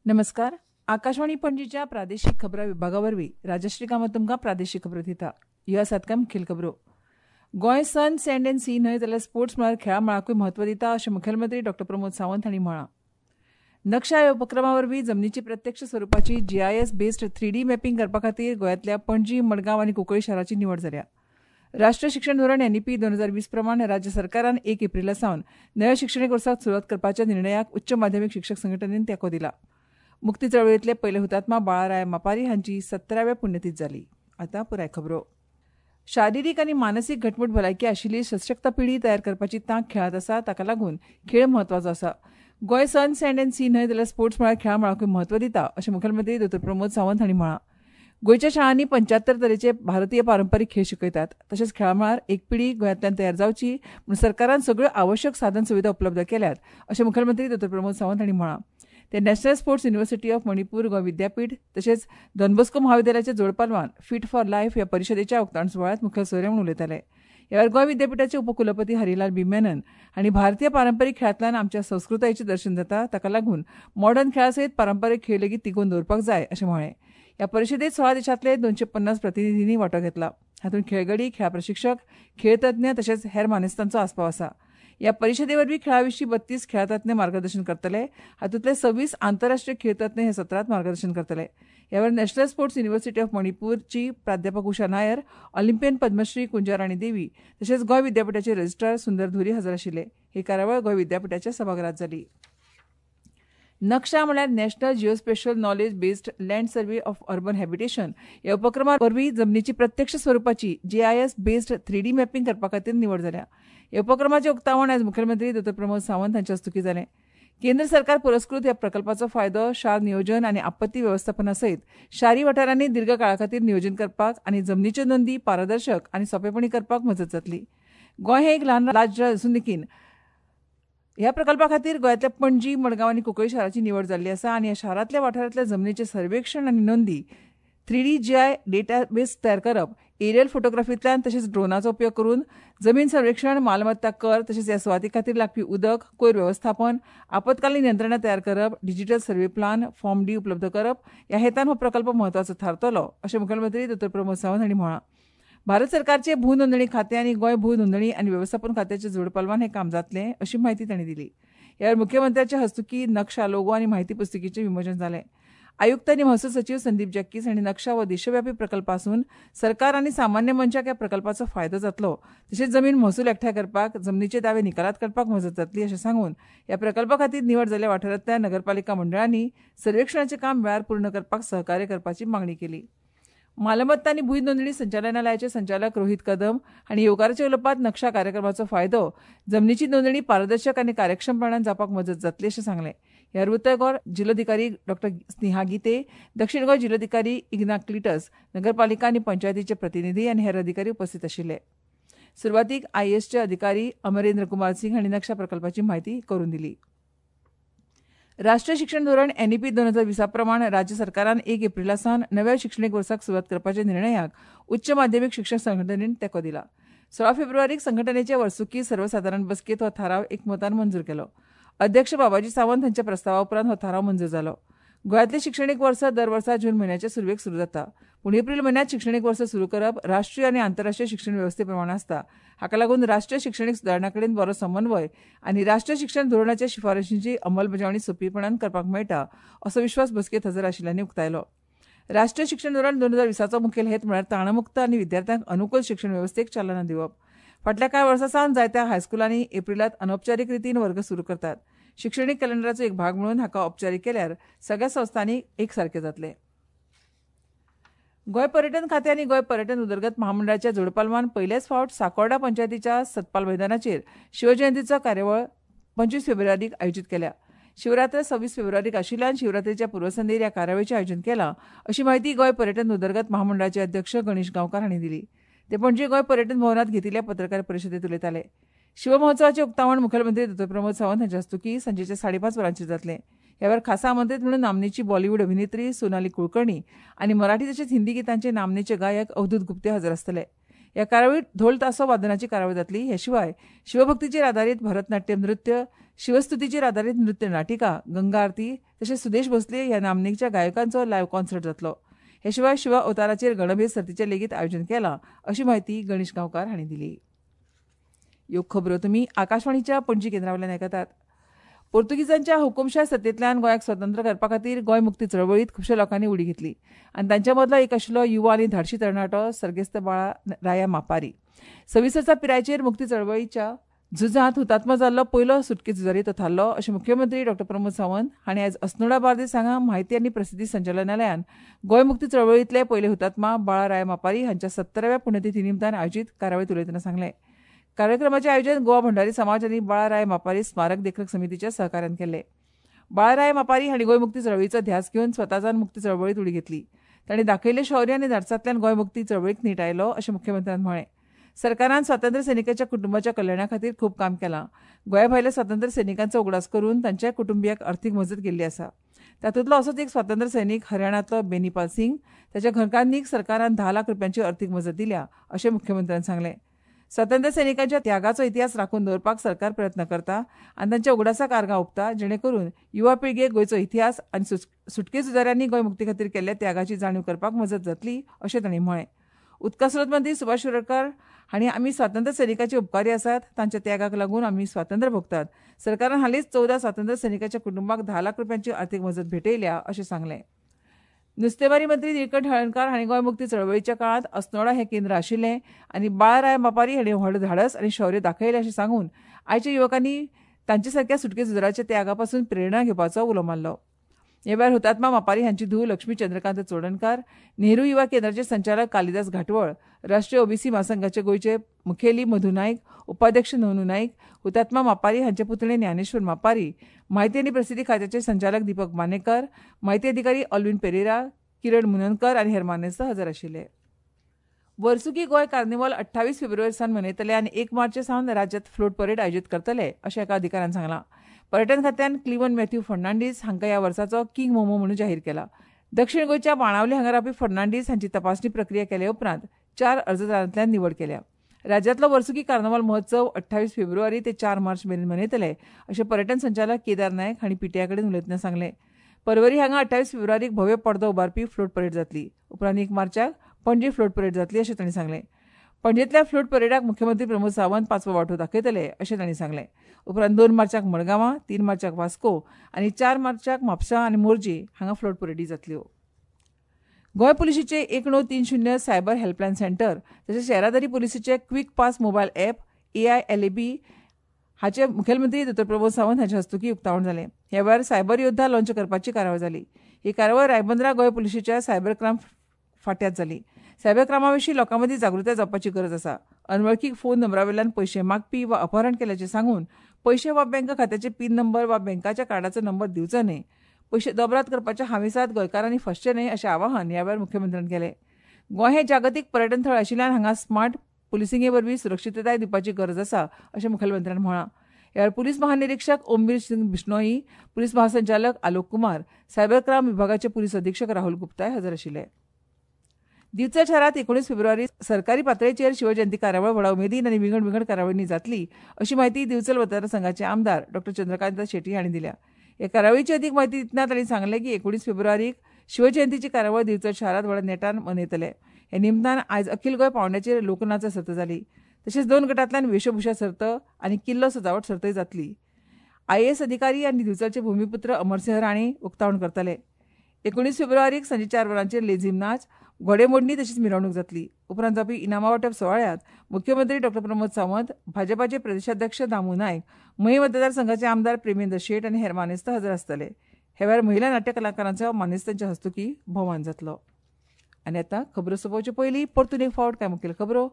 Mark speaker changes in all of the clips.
Speaker 1: नमस्कार. आकाशवाणी पणजीच्या प्रादेशिक खबरां विभागा वरवीं राजश्री कामत तुमकां प्रादेशिक खबरो दिता. ह्यो आसात कांय मुखेल खबरो. Goa sun sand and sea न्हय जाल्यार स्पोर्ट्स मळार खेळां मळाकूय म्हत्व दिता अशें मुखेलमंत्री डॉ प्रमोद सावंत हांणी म्हळां. नक्षा ह्या उपक्रमा वरवीं जमनीची प्रत्यक्ष स्वरुपाची जीआयएस बेस्ड 3D mapping करपा खातीर गोंयांतल्या पणजी, मडगांव आनी कुंकळी शाराची निवड जाल्या. राष्ट्रीय शिक्षण धोरण एनईपी 2020 प्रमाण राज्य सरकारान 1 एप्रिला सावन नव्या शिक्षणीक वर्साक सुरवात करपाच्या निर्णयाक उच्च माध्यमीक शिक्षक संघटनेन तेंको दिला. मुक्ती चळवळींतले पयले हुतात्मा बाळाराय मापारी हांची 17व्या पुण्यतीथ जाली. आतां पुराय खबरो. शारिरीक आनी मानसीक घटमूट भलायकी आशिल्ली सशक्त पिढी तयार करपाची तांक खेळांत आसा, ताका लागून खेळ म्हत्वाचो आसा. Goa sun sand and sea न्हय जाल्यार स्पोर्ट्स मळार खेळां मळाकूय म्हत्व दिता अशें मुखेलमंत्री दोतोर प्रमोद सावंत हांणी म्हळां. गोंयच्या शाळांनी 75 तरेचे भारतीय पारंपारीक खेळ शिकयतात. तशेंच खेळां मळार एक पिढी गोंयांतल्यान तयार जावची म्हूण सरकारान सगळ्यो आवश्यक साधन सुविधा उपलब्ध केल्यात अशें मुखेलमंत्री दोतोर प्रमोद सावंत हांणी म्हळां. ते national sports university of Manipur Goa Vidyapeeth तशेंच डॉन बॉस्को महाविद्यालयाच्या जोडपालवान फिट फॉर लायफ ह्या परिशदेच्या उक्तावण सुवाळ्यांत मुखेल सोयरे म्हूण उलयताले. ह्या वेळार गोंय विद्यापिठाचे उपकुलपती हरिलाल बी मेनन हांणी भारतीय पारंपारीक खेळांतल्यान आमच्या संस्कृतायेचें दर्शन जाता, ताका लागून मॉडर्न खेळा सयत पारंपारीक खेळ लेगीत तिगोवन दवरपाक जाय अशें म्हळें. ह्या परिशदेंत 16 देशांतले 250 प्रतिनिधींनी वांटो घेतला. हातूंत खेळगडी, खेळा प्रशिक्षक, खेळतज्ञ तशेंच हेर मानेस्तांचो आस्पाव आसा. ह्या परिशदे वरवीं खेळा विशीं 32 खेळातज्ञ मार्गदर्शन करतले. हातूंतले 26 आंतरराष्ट्रीय खेळतज्ञ हे सत्रांत मार्गदर्शन करतले. ह्या वेळार नॅशनल स्पोर्ट्स युनिव्हर्सिटी ऑफ मणिपूरची प्राध्यापक उषा नायर, ऑलिम्पियन पद्मश्री कुंजाराणी देवी तशेंच गोंय विद्यापिठाचे रजिस्ट्रार सुंदर धुरी हजर आशिल्ले. ही कार्यावळ गोंय विद्यापिठाच्या सभाघरांत जाली. नक्षा म्हळ्यार national geospatial knowledge based land survey of urban habitation ह्या उपक्रमा वरवीं जमनीची प्रत्यक्ष स्वरुपाची जीआयएस बेस्ड 3D mapping करपा खातीर निवड जाल्या. ह्या उपक्रमाचें उक्तावण आयज मुखेलमंत्री दोतोर प्रमोद सावंत हांच्या हस्तुकीं जालें. केंद्र सरकार पुरस्कृत ह्या प्रकल्पाचो फायदो शार नियोजन आनी आपत्ती वेवस्थापना सयत शारी वाठारांनी दीर्घ काळा खातीर नियोजन करपाक आनी जमनीच्यो नोंदी पारदर्शक आनी सोंपेपणी करपाक मजत जातली. गोंय हें एक ल्हान राज्य आसून देखीन ह्या प्रकल्पा खातीर गोंयांतल्या पणजी, मडगांव आनी कुंकळी शाराची निवड जाल्ली आसा आनी ह्या शारांतल्या वाठारांतल्या जमनीचें सर्वेक्षण आनी नोंदी 3D जीआय डेटाबेस तयार करप, एरियल फोटोग्राफींतल्यान तशेंच ड्रोनाचो उपयोग करून जमीन सर्वेक्षण, मालमत्ता कर तशेंच ह्या सुवाती खातीर लागपी उदक, कोयर वेवस्थापन, आपत्कालीन यंत्रणा तयार करप, digital survey plan, form D उपलब्ध करप ह्या हेतान हो प्रकल्प म्हत्वाचो थारतलो अशें मुखेलमंत्री दोतोर प्रमोद सावंत हांणी म्हळां. भारत सरकारचे भू नोंदणी खातें आनी गोंय भू नोंदणी आनी वेवस्थापन खात्याच्या जोडपालवान हें काम जातलें अशी म्हायती तांणी दिली. ह्या वेळार मुख्यमंत्र्याच्या हस्तुकीं नक्षा, लोगो आनी म्हायती पुस्तिकेचें विमोचन जालें. आयुक्त आनी महसूल सचीव संदीप जॅक्कीस हांणी नक्षा हो देशव्यापी प्रकल्प आसून सरकार आनी सामान्य मनशाक ह्या प्रकल्पाचो फायदो जातलो तशेंच जमीन महसूल एकठांय करपाक, जमनीचे दावे निकालात काडपाक मजत जातली अशें सांगून ह्या प्रकल्पा खातीर निवड जाल्ल्या वाठारांतल्या नगरपालिका मंडळांनी सर्वेक्षणाचें काम वेळार पूर्ण करपाक सहकार्य करपाची मागणी केली. मालमत्ता आनी भूंय नोंदणी संचालनालयाचे संचालक रोहित कदम हांणी येवकाराच्या उलोवपांत नक्षा कार्यक्रमाचो फायदो जमनीची नोंदणी पारदर्शक आनी कार्यक्षमपणान जावपाक मजत जातली अशें सांगलें. ह्या उत्तर गोंय जिल्लोधिकारी डॉ स्नेहा गीते, दक्षिण गोंय जिल्लोधिकारी इग्ना क्लिटस, नगरपालिका आनी पंचायतीचे प्रतिनिधी आनी हेर अधिकारी उपस्थित आशिल्ले. सुरवातीक आयएएसचे अधिकारी अमरेंद्र कुमार सिंग हांणी नक्षा प्रकल्पाची म्हायती करून दिली. राष्ट्रीय शिक्षण धोरण एनईपी 2020 प्रमाण राज्य सरकारान 1 एप्रिला सावन नव्या शिक्षणीक वर्साक सुरवात करपाच्या निर्णयाक उच्च माध्यमीक शिक्षण संघटनेन तेंको दिला. 16 फेब्रुवारीक संघटनेचे वर्सुकी सर्वसादारण बसकेंत हो थाराव एकमतान मंजूर केलो. अध्यक्ष बाबाजी सावंत हांच्या प्रस्तावा उपरांत हो थाराव मंजूर जालो. गोंयांतलें शिक्षणीक वर्स दर वर्सा जून म्हयन्याचे सुरवेक सुरू जाता, पूण एप्रील म्हयन्यांत शिक्षणीक वर्स सुरू करप राष्ट्रीय आनी आंतरराष्ट्रीय शिक्षण वेवस्थे प्रमाण आसता. हाका लागून राष्ट्रीय शिक्षणीक सुदारणा कडेन बरो समन्वय आनी राष्ट्रीय शिक्षण धोरणाच्या शिफारशींची अंमलबजावणी सोंपेपणान करपाक मेळटा असो विश्वास बसकेंत हजर आशिल्ल्यांनी उक्तायलो. राष्ट्रीय शिक्षण धोरण 2020चो मुखेल हेत म्हळ्यार ताणमुक्त आनी विद्यार्थ्यांक अनुकूल शिक्षण वेवस्थेक चालना दिवप. फाटल्या कांय वर्सां सावन जायत्या हायस्कुलांनी एप्रिलांत अनौपचारीक रितीन वर्ग सुरू करतात. शिक्षणीक कॅलेंडराचो एक भाग म्हणून हाका औपचारीक केल्यार सगळ्या संस्थांनी एकसारके जातले. गोंय पर्यटन खातें आनी गोंय पर्यटन उदरगत महामंडळाच्या जोडपालवान पयलेच फावट साकोर्डा पंचायतीच्या सतपाल मैदानाचेर शिवजयंतीचो कार्यावळ 25 फेब्रुवारीक आयोजीत केल्या. शिवरात्र 26 फेब्रुवारीक आशिल्ल्यान शिवरात्रीच्या पूर्वसंध्येर ह्या कार्यावळीचें आयोजन केलां अशी म्हायती गोंय पर्यटन उदरगत महामंडळाचे अध्यक्ष गणेश गांवकार हांणी दिली. ते पणजे गोंय पर्यटन भवनांत घेतिल्ल्या पत्रकार परिशदेंत उलयताले. शिवमहोत्सवाचें उक्तावण मुखेलमंत्री दोतोर प्रमोद सावंत हांच्या हस्तुकीं सांजेच्या 5:30 वरांचेर जातलें. ह्या वेळार खासा आमंत्रीत म्हणून नामनेची बॉलिवूड अभिनेत्री सोनाली कुलकर्णी आनी मराठी तशेंच हिंदी गितांचे नामनेचे गायक अवधूत गुप्ते हजर आसतले. ह्या कार्यावळीत ढोल तासो वादनाची कार्यावळ जातली. हे शिवाय शिवभक्तीचेर आदारीत भरतनाट्यम नृत्य, शिवस्तुतीचेर आदारीत नृत्य नाटिका, गंगा आरती तशेंच सुदेश भोसले ह्या नामनेच्या गायकांचो लायव्ह कॉन्सर्ट जातलो. हे शिवाय शिवा अवताराचेर गणभेद सर्तीचें लेगीत आयोजन केलां अशी म्हायती गणेश गांवकार हांणी दिली. ह्यो खबरो तुमी आकाशवाणीच्या पणजी केंद्रा वयल्यान आयकतात. पोर्तुगीजांच्या हुकुमशाय सत्तेंतल्यान गोंयाक स्वतंत्र करपा खातीर गोंय मुक्ती चळवळींत खुबश्या लोकांनी उडी घेतली आनी तांच्या मदलो एक आशिल्लो युवा आनी धाडशी तरणाटो सर्गेस्त बाळा राया मापारी. 26 वर्सां पिरायेचेर मुक्ती चळवळीच्या झुजांत हुतात्मा जाल्लो पयलो सुटके झुजारी तो थारलो अशें मुख्यमंत्री डॉ प्रमोद सावंत हांणी आयज अस्नोडा बार्देस हांगा म्हायती आनी प्रसिद्धी संचालनालयान गोंय मुक्ती चळवळींतले पयले हुतात्मा बाळा राया मापारी हांच्या 70व्या पुण्यतिथी निमतान आयोजीत कार्यावळींत उलयतना सांगलें. कार्यक्रमाचें आयोजन गोवा भंडारी समाज आनी बाळा राय मापारी स्मारक देखरेख समितीच्या सहकार्यान केल्लें. बाळा राय मापारी हांणी गोंय मुक्ती चळवळीचो ध्यास घेवन स्वताच्यान मुक्ती चळवळींत उडी घेतली. तांणी दाखयिल्लें शौर्य आनी धाडसांतल्यान गोंय मुक्ती चळवळीक नेट आयलो अशें मुख्यमंत्र्यान म्हळें. सरकारान स्वातंत्र्य सैनिकांच्या कुटुंबाच्या कल्याणा खातीर खूब काम केलां. गोंया भायल्या स्वातंत्र्य सैनिकांचो उगडास करून तांच्या कुटुंबियांक अर्थीक मजत केल्ली आसा. तातूंतलो असोच एक स्वातंत्र्य सैनीक हरियाणांतलो बेनीपाल सिंग ताच्या घरकान्नीक सरकारान 10 लाख रुपयांची अर्थीक मजत दिल्या अशें मुख्यमंत्र्यान सांगलें. स्वातंत्र्य सैनिकांच्या त्यागाचो इतिहास राखून दवरपाक सरकार प्रयत्न करता आनी तांच्या उगडासाक आर्गां ओंपता, जेणे करून युवा पिळगेक गोंयचो इतिहास आनी सुटके झुजाऱ्यांनी गोंय मुक्ती खातीर केल्ल्या त्यागाची जाणीव करपाक मजत जातली अशें तांणी म्हळें. उदका स्रोत मंत्री सुभाष शिरोडकर हांणी आमी स्वातंत्र्य सैनिकांचे उपकारी आसात, तांच्या त्यागाक लागून आमी स्वातंत्र्य भोगतात. सरकारान हालींच 14 स्वातंत्र्य सैनिकांच्या कुटुंबाक 10 लाख रुपयांची अर्थीक मजत भेटयल्या अशें सांगलें. नुस्तेमारी मंत्री निळकंठ हळर्णकार हांणी गोंय मुक्ती चळवळीच्या काळांत अस्नोडा हें केंद्र आशिल्लें आनी बाळा राय मापारी हांणी व्हड धाडस आनी शौर्य दाखयलें अशें सांगून आयच्या युवकांनी तांचे सारक्या सुटके झुजाराच्या त्यागा पासून प्रेरणा घेवपाचो उलो मारलो. हे वेळार हुतात्मा मापारी हांची धूव लक्ष्मी चंद्रकांत चोडणकार, नेहरू युवा केंद्राचे संचालक कालिदास घाटवळ, राष्ट्रीय ओबीसी म्हासंघाचे गोंयचे मुखेली मधू नायक, उपाध्यक्ष नोनू नायक, हुतात्मा मापारी हांचे पुतणे ज्ञानेश्वर मापारी, म्हायती आनी प्रसिद्धी खात्याचे संचालक दीपक मानेकर, म्हायती अधिकारी ऑल्विन पेरेरा, किरण मुननकर आनी हेर मानेस्त हजर आशिल्ले. वर्सुकी गोंय कार्निवाल 28 फेब्रुवारी सावन मनयतले आनी 1 मार्च सावन राज्यांत फ्लोट परेड आयोजीत करतले अशें एका अधिकाऱ्यान सांगलां. पर्यटन खात्यान क्लिवन मॅथ्यू फर्नांडीस हांकां ह्या वर्साचो किंग मोमो म्हणून जाहीर केला. दक्षिण गोंयच्या बाणावली हांगा रावपी फर्नांडीस हांची तपासणी प्रक्रिया केले उपरांत 4 अर्जदारांतल्यान निवड केल्या. राज्यांतलो वर्सुकी कार्नावाल महोत्सव 28 फेब्रुवारी ते 4 मार्च मेरेन मनयतले अशें पर्यटन संचालक केदार नायक हांणी पीटीआय कडेन उलयतना सांगलें. परवरी हांगा 28 फेब्रुवारीक भव्य पडदो उबारपी फ्लोट परेड जातली. उपरांत 1 मार्चाक पणजी फ्लोट परेड जातली अशें तांणी सांगलें. पणजेंतल्या फ्लोट परेडाक मुख्यमंत्री प्रमोद सावंत पांचवो वांटो दाखयतले अशें तांणी सांगलें. उपरांत 2 मार्चाक मडगांवां, 3 मार्चाक वास्को आनी 4 मार्चाक म्हापसा आनी मोरजी हांगा फ्लोट परेडी जातल्यो. गोंय पुलिशेचे 1930 सायबर हेल्पलायन सेंटर तशेंच येरादारी पुलिसेचे quick pass mobile app AILAB हाचे मुखेलमंत्री डॉ प्रमोद सावंत हांचे हस्तुकीं उक्तावण जालें. ह्या वेळार सायबर योद्धा लॉन्च करपाची कार्यावळ जाली. ही कार्यावळ रायबंदरा गोंय पुलिशेच्या सायबर क्रायम फांट्यांत जाली. सायबर क्रायमा विशीं लोकां मदीं जागृताय जावपाची गरज आसा. अनवळखी फोन नंबरा वयल्यान पयशे मागपी वा अपहरण केल्याचें सांगून पयशे वा बँक खात्याचे पीन नंबर वा बँकाच्या कार्डाचो नंबर दिवचो न्हय. पयशे दोबराद करपाच्या हावेसांत गोंयकारांनी फसचें न्हय अशें आवाहन ह्या वेळार मुख्यमंत्र्यान केलें. गोंय हें जागतीक पर्यटन थळ आशिल्ल्यान हांगा स्मार्ट पुलिसिंगे वरवीं सुरक्षितताय दिवपाची गरज आसा अशें मुखेलमंत्र्यान म्हळां. ह्या वेळार पुलीस महानिरिक्षक ओमवीर सिंग बिश्नोई, पुलीस महासंचालक आलोक कुमार, सायबर क्रायम विभागाचे पुलीस अधिक्षक राहुल गुप्ताय हजर आशिल्ले. दिवचल शारांत 19 फेब्रुवारी सरकारी पातळेचेर शिवजयंती कार्यावळ व्हडा उमेदीन आनी विंगड विंगड कार्यावळींनी जातली अशी म्हायती दिवचल मतदारसंघाचे आमदार डॉ चंद्रकांत शेट्टी हांणी दिल्या. ह्या कार्यावळीची अदीक म्हायती दितना तांणी सांगलें की 19 फेब्रुवारीक शिवजयंतीची कार्यावळ दिवचल शारांत व्हडा नेटान मनयतले. हे निमतान आयज अखील गोंय पावंड्याचेर लोकनाच सर्त जाली. तशेंच 2 गटांतल्यान वेशभूषा सर्त आनी किल्लो सजावट सर्तय जातली. आयएएस अधिकारी आनी दिवचलचे भूमिपुत्र अमरसिंह राणे उक्तावण करतले. 19 फेब्रुवारीक सांजे 4 वरांचेर लेझीम नाच, घोडेमोडणी तशीच मिरवणूक जातली. उपरांत जावपी इनामां वांटप सुवाळ्यांत मुख्यमंत्री डॉ प्रमोद सावंत, भाजपाचे प्रदेशाध्यक्ष दामू नायक, मयें मतदारसंघाचे आमदार प्रेमेंद्र शेट आनी हेर मानेस्त हजर आसतले. हे वेळार महिला नाट्य कलाकारांचो मानेस्तांच्या हस्तुकीं भोवमान जातलो. आनी आतां खबरो सोंपोवचे पयलीं परतून एक फावट कांय मुखेल खबरो.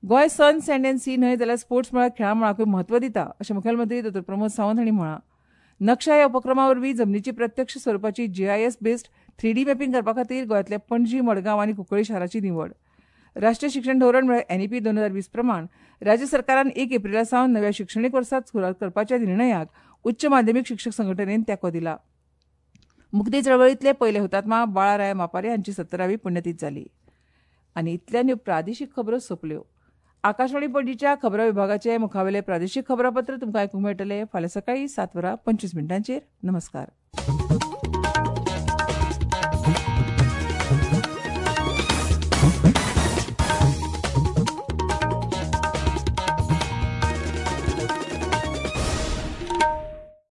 Speaker 1: Goa sun sand and sea न्हय जाल्यार स्पोर्ट्स मळार खेळां मळाकूय म्हत्व दिता अशें मुखेलमंत्री डॉ प्रमोद सावंत हांणी म्हळां. नक्षा ह्या उपक्रमा वरवीं जमनीची प्रत्यक्ष स्वरुपाची जीआयएस बेस्ड 3D mapping करपा खातीर गोंयांतल्या पणजी, मडगांव आनी कुंकळी शाराची निवड. राष्ट्रीय शिक्षण धोरण म्हळ्यार एनईपी 2020 प्रमाण राज्य सरकारान 1 एप्रिला सावन नव्या शिक्षणीक वर्सांत सुरवात करपाच्या निर्णयाक उच्च माध्यमीक शिक्षक संघटनेन तेंको दिला. मुक्ती चळवळींतले पयले हुतात्मा बाळा राया मापारी हांची 70वी पुण्यतीथ जाली. आनी इतल्यान ह्यो प्रादेशीक खबरो सोंपल्यो. आकाशवाणी पणजीच्या खबरां विभागाचे मुखावेले प्रादेशीक खबरापत्र तुमकां आयकूंक मेळटलें फाल्यां सकाळीं 7:25. नमस्कार.